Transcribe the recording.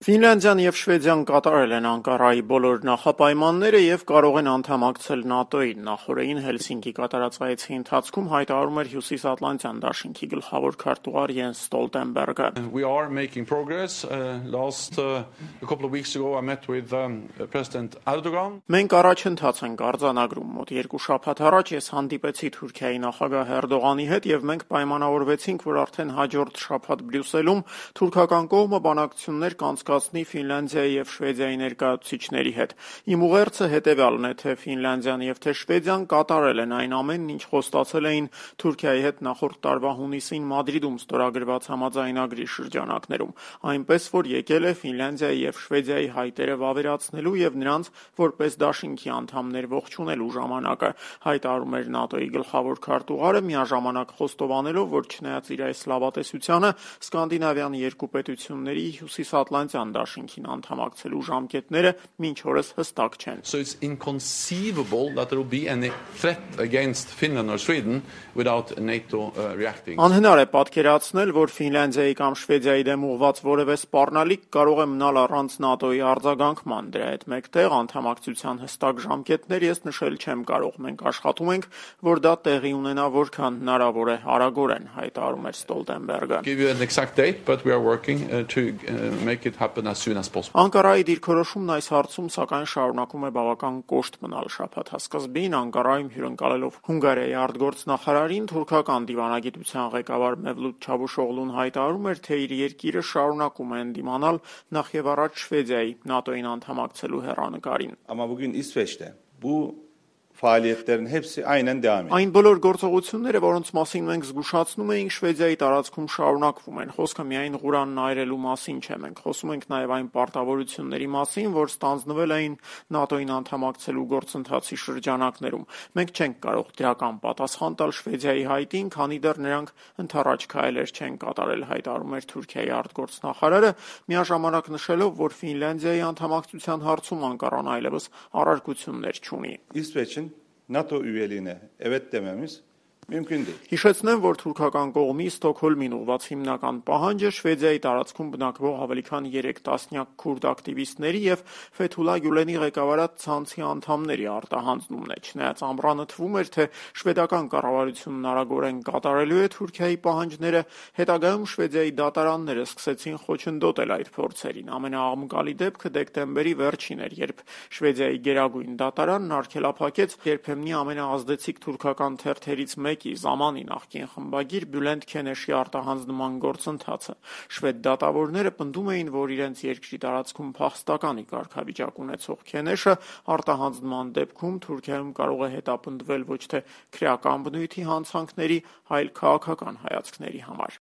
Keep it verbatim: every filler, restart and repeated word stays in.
Ֆինլանդիան և Շվեդիան կատարել են Անկարայի բոլոր նախապայմանները և կարող են անդամակցել ՆԱՏՕ-ին։ Նախօրեին Հելսինկի կատարած այցի ընթացքում հայտարարում էր Հյուսիսատլանտյան դաշինքի գլխավոր քարտուղար Յենս Ստոլտենբերգը։ We are making progress. Uh, last uh, a couple of weeks ago I met with um, President Erdogan. Մենք առաջընթաց ենք արձանագրում։ Մոտ երկու շաբաթ առաջ ես հանդիպեցի Թուրքիայի նախագահ Էրդողանի հետ և մենք պայմանավորվեցինք, որ արդեն հաջորդ շաբաթ Բրյուսելում թուրքական կողմը բանակցություններ կանցկացնի Ֆինլանդիայի և Շվեդիայի ներկայացուցիչների հետ։ Իմ ուղերձը հետևյալն է, թե Ֆինլանդիան և թե Շվեդիան կատարել են այն ամենն, ինչ խոստացել էին Թուրքիայի հետ նախորդ տարվա հունիսին Մադրիդում ստորագրված համաձայնագրի շրջանակներում, այնպես որ եկել է Ֆինլանդիայի և Շվեդիայի հայտերը վավերացնելու և նրանց որպես դաշինքի անդամներ ողջունելու ժամանակը, հայտարարում էր ՆԱՏՕ-ի գլխավոր քարտուղարը, միաժամանակ խոստովանելով, որ չնայած իր այս լավատեսությանը, սկանդինավյան երկու պետությունների Հյուսիսատլանտյան դաշինքին անդամակցելու ժամկետները մինչ օրս հստակ չեն։ So it's inconceivable that there will be any threat against Finland or Sweden without NATO uh, reacting. Անհնար է պատկերացնել, որ Ֆինլանդիայի կամ Շվեդիայի դեմ ուղղված որևէ սպառնալիք կարող է մնալ առանց ՆԱՏՕ-ի արձագանքման։ Դրա հետ մեկտեղ անդամակցության հստակ ժամկետներ ես նշել չեմ կարող։ Մենք աշխատում ենք, որ դա տեղի ունենա որքան հնարավոր է արագորեն, հայտարարում էր Ստոլտենբերգը։ Give you an exact date, but we are working uh, to uh, make it happen as soon as possible. Անկարայի դիրքորոշումն այս հարցում սակայն շարունակում է բավական կոշտ մնալ։ Շաբաթ սկզբին Անկարայում հյուրընկալելով Հունգարիայի արտգործնախարարին, թուրքական դիվանագիտության ղեկավար Մևլութ Չավուշօղլուն հայտարարում էր, թե իր երկիրը շարունակում է ընդդիմանալ նախևառաջ Շվեդիայի ՆԱՏՕ-ին անդամակցելու հեռանկարին։ Ama bugün İsveç'te bu faaliyetlerin hepsi aynen devam ediyor. Այն բոլոր գործողությունները, որոնց մասին մենք զգուշացնում էինք, Շվեդիայի տարածքում շարունակվում են։ Խոսքը միայն Ղուրանն այրելու մասին չէ։ Մենք խոսում ենք նաև այն պարտավորությունների մասին, որ ստանձնվել էին ՆԱՏՕ-ին անդամակցելու գործընթացի շրջանակներում։ Մենք չենք կարող դրական պատասխան տալ Շվեդիայի հայտին, քանի դեռ նրանք ընդառաջ քայլեր չեն կատարել, հայտարարում էր Թուրքիայի արտգործնախարարը, միաժամանակ նշելով, որ Ֆինլանդիայի անդամակցության հարցում Անկարան այլևս առարկություններ չունի։ İsveç'in NATO üyeliğine evet dememiz mümkün değil. Հիշեցնեմ, որ թուրքական կողմի Ստոկհոլմին ուղղված հիմնական պահանջը Շվեդիայի տարածքում բնակվող ավելի քան երեք տասնյակ քուրդ ակտիվիստների և Ֆեթուլա Գյուլենի ղեկավարած ցանցի անդամների արտահանձնումն է։ Չնայած ամռանը թվում էր, թե շվեդական կառավարությունն արագորեն կատարելու է Թուրքիայի պահանջները, հետագայում Շվեդիայի դատարանները սկսեցին խոչընդոտել այդ փորձերին։ Ամենաաղմկալի դեպքը դեկտեմբերի վերջին էր, երբ Շվեդիայի գերագույն դատարանն արգելափակեց երբեմնի ամենաազդեցիկ թուրքական թերթերից մեկի Զամանի նախկին խմբագիր Բյուլենտ Քենեշի արտահանձնման գործընթացը։ Շվեդ դատավորները պնդում էին, որ իրենց երկրի տարածքում փախստականի կարգավիճակ ունեցող Քենեշը արտահանձնման դեպքում Թուրքիայում կարող է հետապնդվել ոչ թե քրեական բնույթի հանցանքների, այլ քաղաքական հայացքների համար։